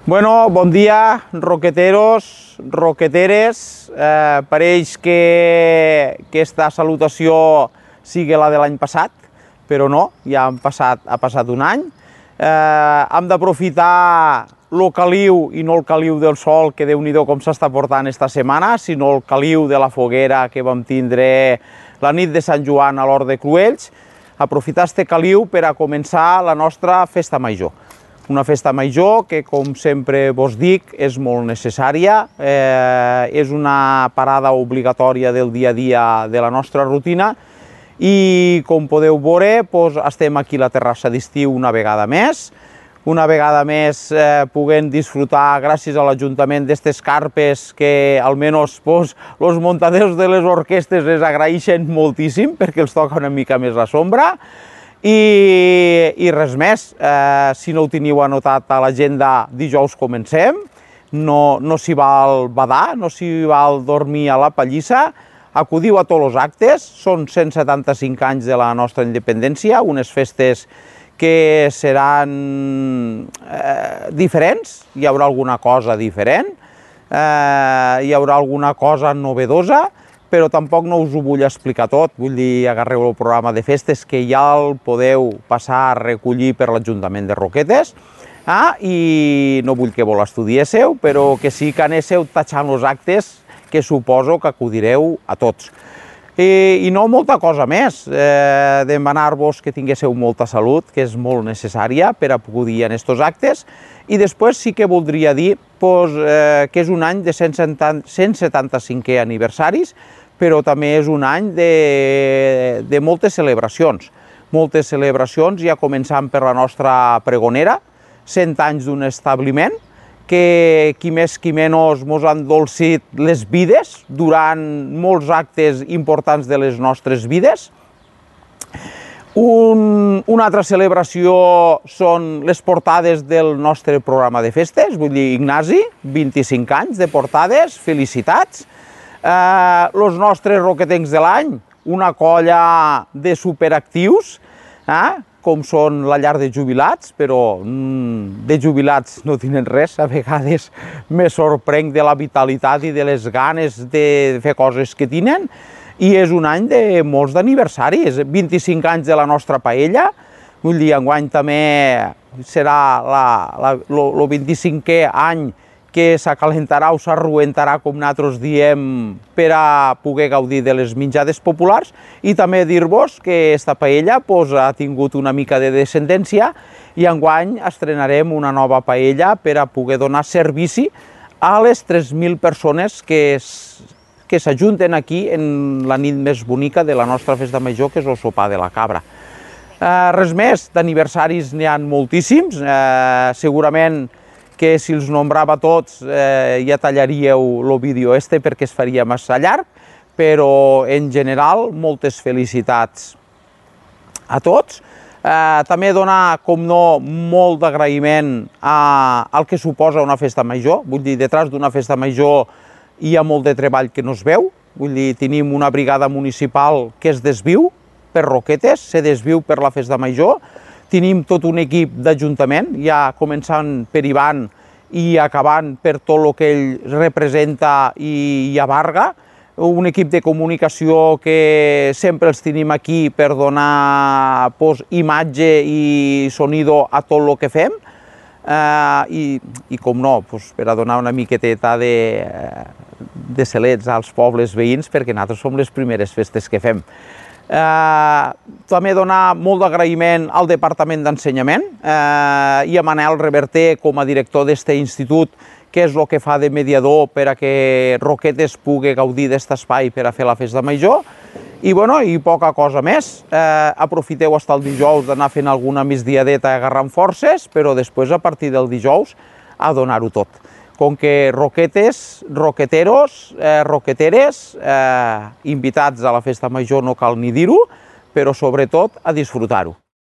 Bueno, bon dia, roqueteros, roqueteres. Pareix que aquesta salutació sigui la de l'any passat, però no, ja ha passat un any. Hem d'aprofitar el caliu i no el caliu del sol, que Déu-n'hi-do com s'està portant esta setmana, sinó el caliu de la foguera que vam tindre la nit de Sant Joan a l'Hort de Cruells. Aprofitar este caliu per a començar la nostra festa major. Una festa major que, com sempre vos dic, és molt necessària, és una parada obligatòria del dia a dia de la nostra rutina i, com podeu veure, estem aquí a la terrassa d'estiu una vegada més podent disfrutar, gràcies a l'Ajuntament, d'aquestes carpes que almenys els muntadors de les orquestes les agraeixen moltíssim perquè els toca una mica més la sombra. I res més, si no ho teniu anotat a l'agenda, dijous comencem, no s'hi val badar, no s'hi val dormir a la pallissa, acudiu a tots els actes, són 175 anys de la nostra independència, unes festes que seran diferents, hi haurà alguna cosa diferent, hi haurà alguna cosa novedosa, però tampoc no us ho vull explicar tot, vull dir, agarreu el programa de festes que ja el podeu passar a recollir per l'Ajuntament de Roquetes, i no vull que vos l'estudiéssiu, però que sí que anéssiu tatxant els actes que suposo que acudireu a tots. I no molta cosa més, demanar-vos que tinguéssiu molta salut, que és molt necessària per acudir a aquests actes, i després sí que voldria dir que és un any de 175è aniversaris, però també és un any de moltes celebracions, ja començant per la nostra pregonera, 100 anys d'un establiment, que qui més qui menys mos han dolcit les vides durant molts actes importants de les nostres vides. Una altra celebració són les portades del nostre programa de festes, vull dir, Ignasi, 25 anys de portades, felicitats. Els nostres roquetencs de l'any, una colla de superactius, com són la llar de jubilats, però de jubilats no tenen res, a vegades me sorprenc de la vitalitat i de les ganes de fer coses que tenen, i és un any de molts d'aniversaris, 25 anys de la nostra paella, vull dir, enguany també serà el 25è any que s'acalentarà o s'arruentarà, com nosaltres diem, per a poder gaudir de les menjades populars, i també dir-vos que aquesta paella ha tingut una mica de descendència i enguany estrenarem una nova paella per a poder donar servici a les 3.000 persones que s'ajunten aquí en la nit més bonica de la nostra festa major, que és el sopar de la cabra. Res més, d'aniversaris n'hi ha moltíssims, segurament que si els nombrava tots ja tallaríeu el vídeo perquè es faria massa llarg, però en general moltes felicitats a tots. També donar, com no, molt d'agraïment al que suposa una festa major, vull dir, detrás d'una festa major hi ha molt de treball que no es veu, vull dir, tenim una brigada municipal que es desviu per Roquetes, se desviu per la festa major. Tenim tot un equip d'Ajuntament, ja començant per Ivan i acabant per tot el que ell representa i abarga, un equip de comunicació que sempre els tenim aquí per donar imatge i sonido a tot el que fem, i com no, per a donar una miqueteta de celets als pobles veïns, perquè nosaltres som les primeres festes que fem. També donar molt d'agraïment al Departament d'Ensenyament i a Manel Reverter com a director d'aquest institut, que és el que fa de mediador per a que Roquetes pugui gaudir d'aquest espai per a fer la festa major. I poca cosa més. Aprofiteu fins el dijous d'anar fent alguna migdiadeta agarrant forces, però després, a partir del dijous, a donar-ho tot. Com que roquetes, roqueteros, roqueteres, invitats a la festa major no cal ni dir-ho, però sobretot a disfrutar-ho.